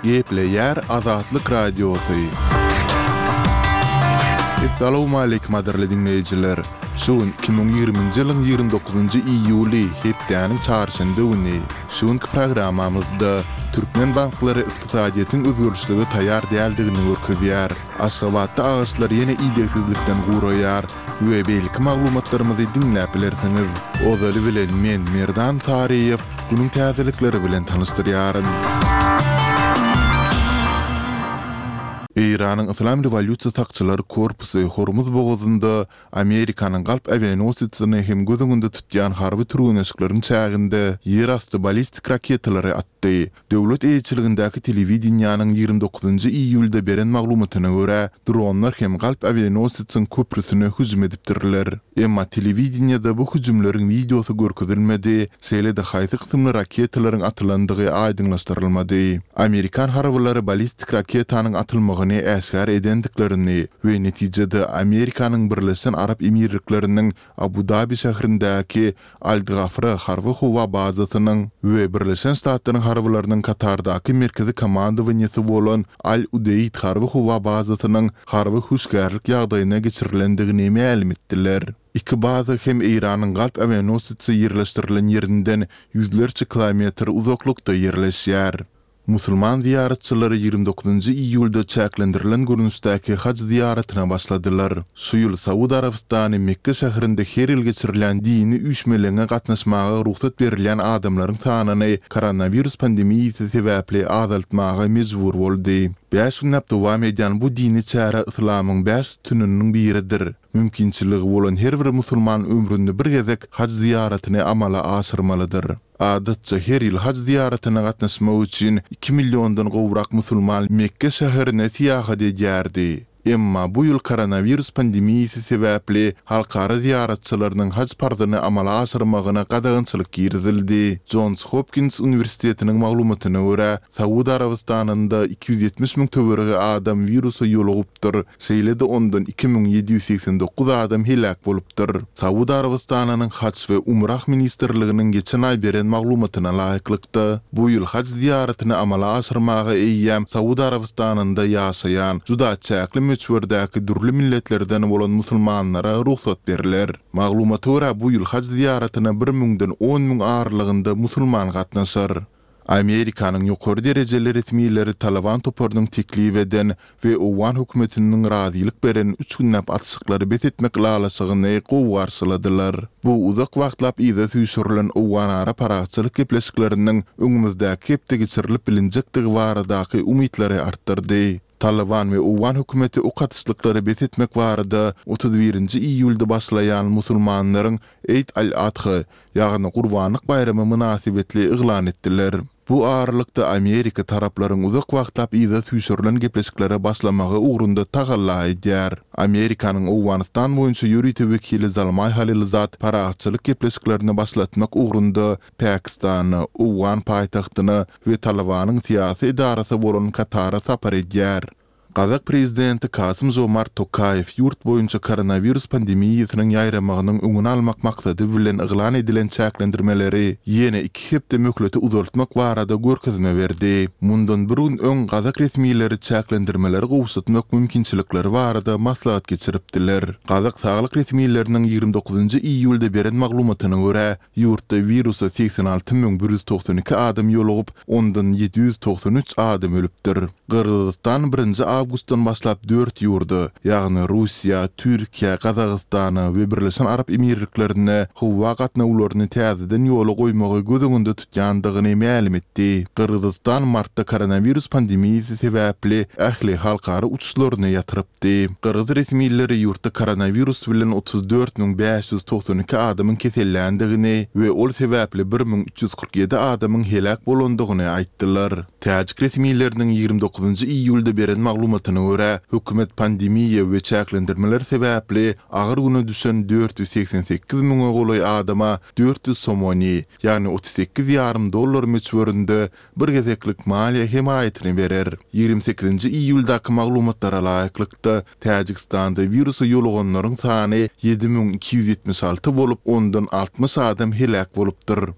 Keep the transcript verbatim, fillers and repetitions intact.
Gepleýär Azatlyk Radiosy. Essalawmaleýkim gadyrly diňleýjiler! Şu gün iki müň ýigriminji ýylyň ýigrimi dokuzynjy iýuly, hepdäniň çarşenbe güni. Şu günki programmamyzda türkmen banklary ykdysadyýetiň özgerişlige taýýar däldigini görkezýär. Aşgabatda agaçlar ýene idegsizlikden guraýar we beýleki maglumatlarymyzy diňläp bilersiňiz. Ozaly bilen men Merdan Saryýew günüň täzelikleri bilen tanyşdyrýaryn. Eýranyň Yslam rewolýusiýa sakçylary korpusy Hormuz bogazynda Amerikanyň galp awianosesini hem göz öňünde tutýan harby türgenleşikleriň çäginde ýerasty ballistik raketalary atdy. Döwlet eýeçiligindäki telewideniýäniň ýigrimi dokuzynjy iýulda beren maglumatyna görä, dronlar hem galp awianosesiň köprüsine hüjüm edipdirler. Emma telewideniýede bu hüjümleriň wideosy görkezilmedi, şeýle-de haýsy kysymly raketalaryň atylandygy aýdyňlaşdyrylmady. Amerikan harbylary ballistik raketanyň atylmagyny äşgär edendiklerini we netijede Amerikanyň Birleşen Arap Emirlikleriniň Abu-Dabi şäherindäki Al-Dgafra harby-howa bazasynyň we Birleşen Ştatlaryň harbylarynyň Katardaky merkezi komandowaniýesi bolan Al-Udeýd harby-howa bazasynyň harby hüşgärlik ýagdaýyna geçirilendigini mälim etdiler. Iki baza hem Eýranyň galp awianosesi ýerleşdirilen ýerinden ýüzlerçe kilometr uzaklykda ýerleşýär. Musulman zyýaratçylary ýigrimi dokuzynjy iýulda çäklendirilen görnüşdäki haj zyýaratyna başladylar. Şu ýyl Saud Arabystany Mekge şäherinde her ýyl geçirilýän dini üýşmeleňe gatnaşmaga rugsat berilýän adamlaryň sanyny koronawirus pandemiýasy sebäpli azaltmaga mejbur boldy. Bäş günläp dowam edýän bu dini çäre yslamyň bäş sütüniniň biridir. Mümkinçiligi bolan her bir musulman ömründe bir gezek haj zyýaratyny amala aşyrmalydyr. Adatça her ýyl haj zyýaratyna gatnaşmak üçin iki milliondan gowrak musulman Mekge şäherine syýahat edýärdi. Emma bu ýyl koronawirus pandemiýasy sebäpli halkara zyýaratçylarynyň haj parzyny amala aşyrmagyna gadagançylyk girizildi. Jons Hopkins uniwersitetiniň maglumatyna görä, Saud Arabystanynda iki ýüz ýetmiş müň töweregi adam wirusa ýolugypdyr, şeýle-de ondan iki müň ýedi ýüz segsen dokuz adam heläk bolupdyr. Saud Arabystanynyň Haj we Umrah ministrliginiň geçen aý beren maglumatyna laýyklykda, bu ýyl haj zyýaratyny amala aşyrmaga eýýäm Saud Arabystanynda ýaşaýan juda çäkli möçberdäki dürli milletlerden bolan musulmanlara rugsat berler. Maglumata görä, bu ýyl haj zyýaratyna bir müňden on müň aralygynda musulman gatnaşar. Amerikanyň ýokary derejeli resmileri Taliban toparynyň teklip eden we owgan hökümetiniň razylyk beren üç günläp atyşyklary bes etmek ylalaşygyny gowy garşyladylar. Bu uzak wagtlap yza süýşürilen owganara parahatçylyk gepleşikleriniň öňümizdäki hepde geçirilip bilinjekdigi baradaky umytlary artdyrdy. Taliban we owgan hökümeti ok atyşlyklary bes etmek barada otuz birinji iýulda başlaýan musulmanlaryň Eid al-Adha, ýagny Gurbanlyk baýramy mynasybetli yglan etdiler. Bu aralykda Amerika taraplaryň uzak wagtlap yza süýşürilen gepleşiklere başlamagy ugrunda tagalla edýär. Amerikanyň Owganystan boýunça ýörite wekili Zalmaý Halilzad parahatçylyk gepleşiklerini başlatmak ugrunda Pakistana, owgan paýtagtyna we Talybanyň syýasy edarasy bolan Katara sapar edýär. Gazak prezidenti Kasym-Žomart Tokaýew ýurt boýunça koronawirus pandemiýasynyň ýaýramagynyň öňüni almak maksady bilen yglan edilen çäklendirmeleri ýene iki hepde möhlete uzaltmak barada görkezme berdi. Mundan bir gün öň gazak resmileri çäklendirmeleri gowşatmak mümkinçilikleri barada maslahat geçiripdiler. Gazak saglyk resmileriniň ýigrimi dokuzynjy iýulda beren maglumatyna görä, ýurtda wirusa segsen alty müň bir ýüz togsan iki adam ýolugyp, ondan ýedi ýüz togsan üç adam ölüpdir. Gyrgyzystan birinji awgustdan başlap dört ýurda, ýagny Russiýa, Türkiýä, Gazagystana we Birleşen Arap Emirliklerine howa gatnawlaryny täzeden ýola goýmagy göz öňünde tutýandygyny mälim etdi. Gyrgyzystan martda koronawirus pandemiýasy sebäpli ähli halkara uçuşlaryny ýatyrypdy. Gyrgyz resmileri ýurtda koronawirus bilen otuz dört müň bäş ýüz togsan iki adamyň keselländigini we ol sebäpli bir müň üç ýüz kyrk ýedi adamyň heläk bolandygyny aýtdylar. Täjik resmileriniň ýigrimi dokuzynjy iýulda beren maglumatyna görä, hökümet pandemiýa we çäklendirmeler sebäpli agyr güne düşen dört ýüz segsen sekiz müňe golaý adama dört ýüz somoni, ýagny otuz sekiz ýarym dollar möçberinde bir gezeklik maliýe hemaýatyny berer. Ýigrimi sekizinji iýuldaky maglumatlara laýyklykda, Täjigistanda wirusa ýoluganlaryň sany ýedi müň iki ýüz ýetmiş alty bolup, ondan altmyş adam heläk bolupdyr.